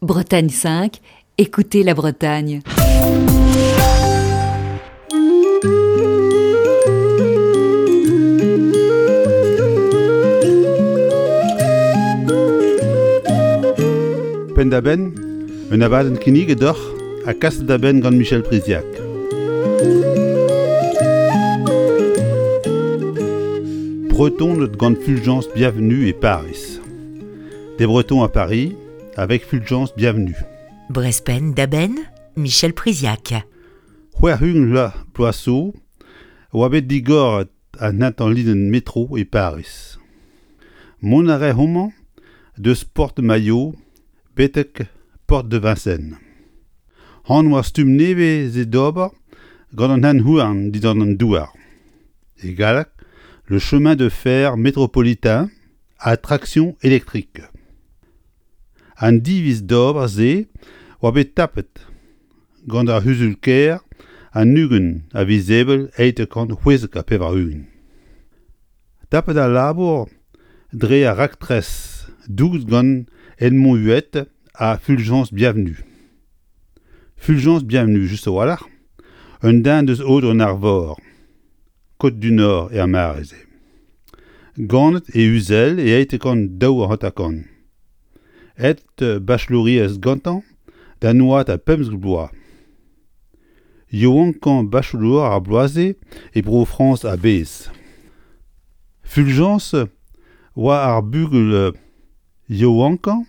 Bretagne 5, écoutez la Bretagne. Penn-da-benn, un abadenn kinniget deoc'h ha kaset da benn gant Michel Priziac. Bretoned gant Fulgence Bienvenue e Paris. Des Bretons à Paris avec Fulgence Bienvenue. Brespen da-benn, Michel Priziac. C'hwec'h-ugent vloaz bloaz zo oa bet digoret an hentañ linenn metro e Pariz. Mont a rae homañ deus Porte Maillot betek Porte de Vincennes. Anv ar stumm nevez-se d'ober gant an hent-houarn dindan an douar. E galleg, le chemin de fer métropolitain à traction électrique. An diviz d'ober se oa bet tapet gant ar c'huzul-kêr an 20 a viz Ebrel 1896. Tapet al labour dre ar raktres douget gant Edmond Huet ha Fulgence Bienvenue. Fulgence Bienvenue just a-walc'h, un den deus Aodoù-an-Arvor, Côtes-du-Nord er mare-se. Ganet e Uzel e 1852. Aet bachelouriezh gantañ d'an oad a 15 bloaz. Yaouankañ bachelour ar bloaz-se e Bro-Frañs a-bezh. Fulgence oa ar bugel yaouankañ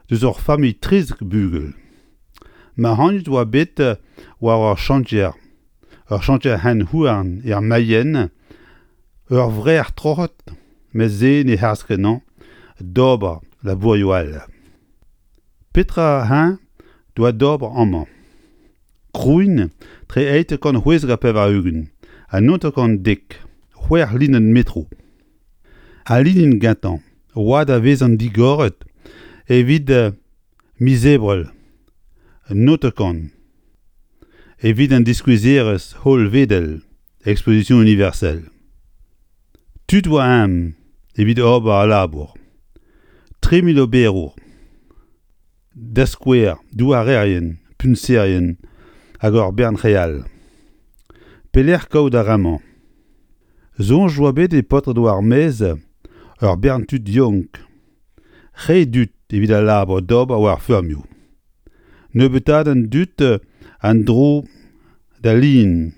deus ur familh 13 bugel. Mac'hagnet oa bet war ur chantier, ur chantier hent-houarn er Mayenne, ur vrec'h troc'het met se ne harz kenañ d'ober labourioù all. Petra eñ doa d'ober amañ? Krouiñ tre 1896 ha 90 c'hwec'h linenn metro. Al linenn gentañ oa da vezañ digoret evit miz Ebrel 90 evit an diskouezerezh hollvedel Exposition universelle. Tud oa eñ evit ober al labour. 3000 oberour. Da skouer, douarerien, puñserien hag ur bern re all. Pelec'h kaout ar re-mañ? Soñj oa bet e paotred war ar maez ur bern tud yaouank. Re dud evit al labour d'ober war feurmioù. Nebeutaat an dud an dro d'al lin,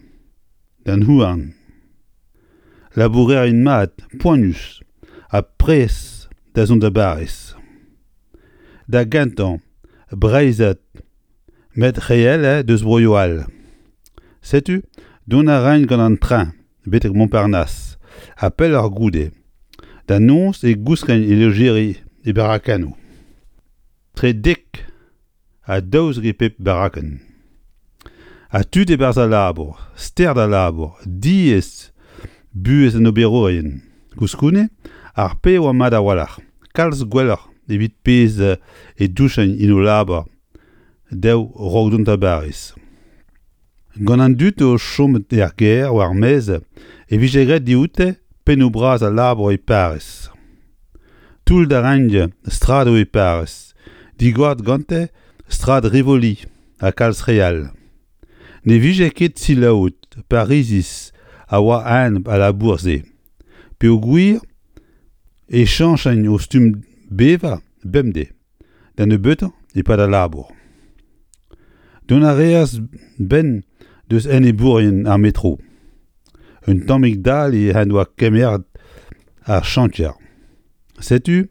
d'an houarn. Labourerien mat, poanius ha prest da zont da Bariz. Da gentañ, Breizhad met re all eo deus broioù all. Setu, dont a raint gant an treñ betek Montparnasse ha pelloc'h goude. Da noz e gouskent e lojeri e barakennoù. Tre dek ha 12 e pep barakenn. Ha tud e-barzh al labour, stert al labour, diaes buhez an oberourien. Koulskoude, ar pezh a oa mat a-walc'h, kalz gwelloc'h evit pezh e douchent en o labour dezho 'raok dont da Bariz. Gant an dud o chom er gêr war maez e vije graet dioute pennoù bras al labour e Pariz. Toull da reiñ stradoù e Pariz, digoret gante strad Rivoli ha kalz re all. Ne vije ket selaouet Pariziz a oa a-enep al labour-se, peogwir e chañchent o stumm bevañ bemdez. Da nebeutañ e-pad al labour. Dont a reas 'benn deus enebourien ar metro. Un tammig dale en doa kemeret ar chantier. Setu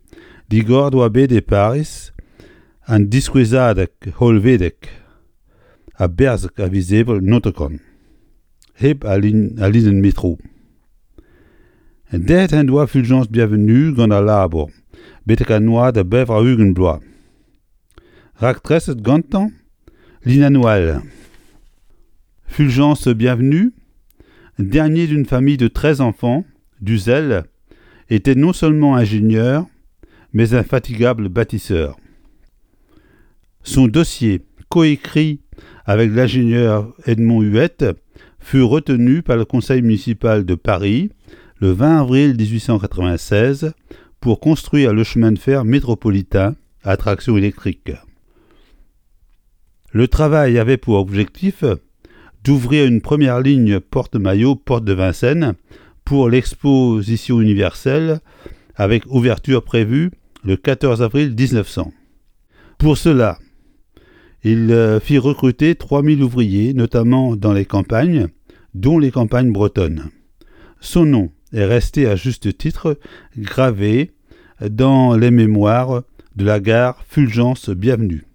digoret oa bet e Pariz an diskouezadeg hollvedek a-berzh a viz Ebrel 90 hep al linenn metro. Dezhet en doa Fulgence Bienvenue gant al labour betek an oad a 80 bloaz. Raktreset gantañ linennoù all. Fulgence Bienvenue, dernier d'une famille de 13 enfants, d'Uzel, était non seulement ingénieur, mais infatigable bâtisseur. Son dossier, coécrit avec l'ingénieur Edmond Huette, fut retenu par le conseil municipal de Paris le 20 avril 1896 pour construire le chemin de fer métropolitain à traction électrique. Le travail avait pour objectif d'ouvrir une première ligne porte-maillot porte de Vincennes pour l'exposition universelle avec ouverture prévue le 14 avril 1900. Pour cela, il euh, fit recruter 3000 ouvriers, notamment dans les campagnes, dont les campagnes bretonnes. Son nom est resté à juste titre gravé dans les mémoires de la gare Fulgence Bienvenue.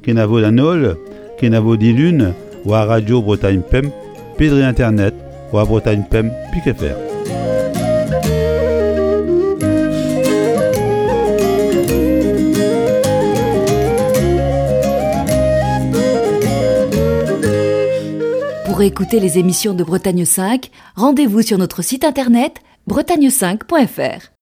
Kenavo d'an holl, kenavo dilun war Radio Bretagne Pemp pe dre internet war Bretagne Pemp pik fr. Pour écouter les émissions de Bretagne 5, rendez-vous sur notre site internet bretagne5.fr.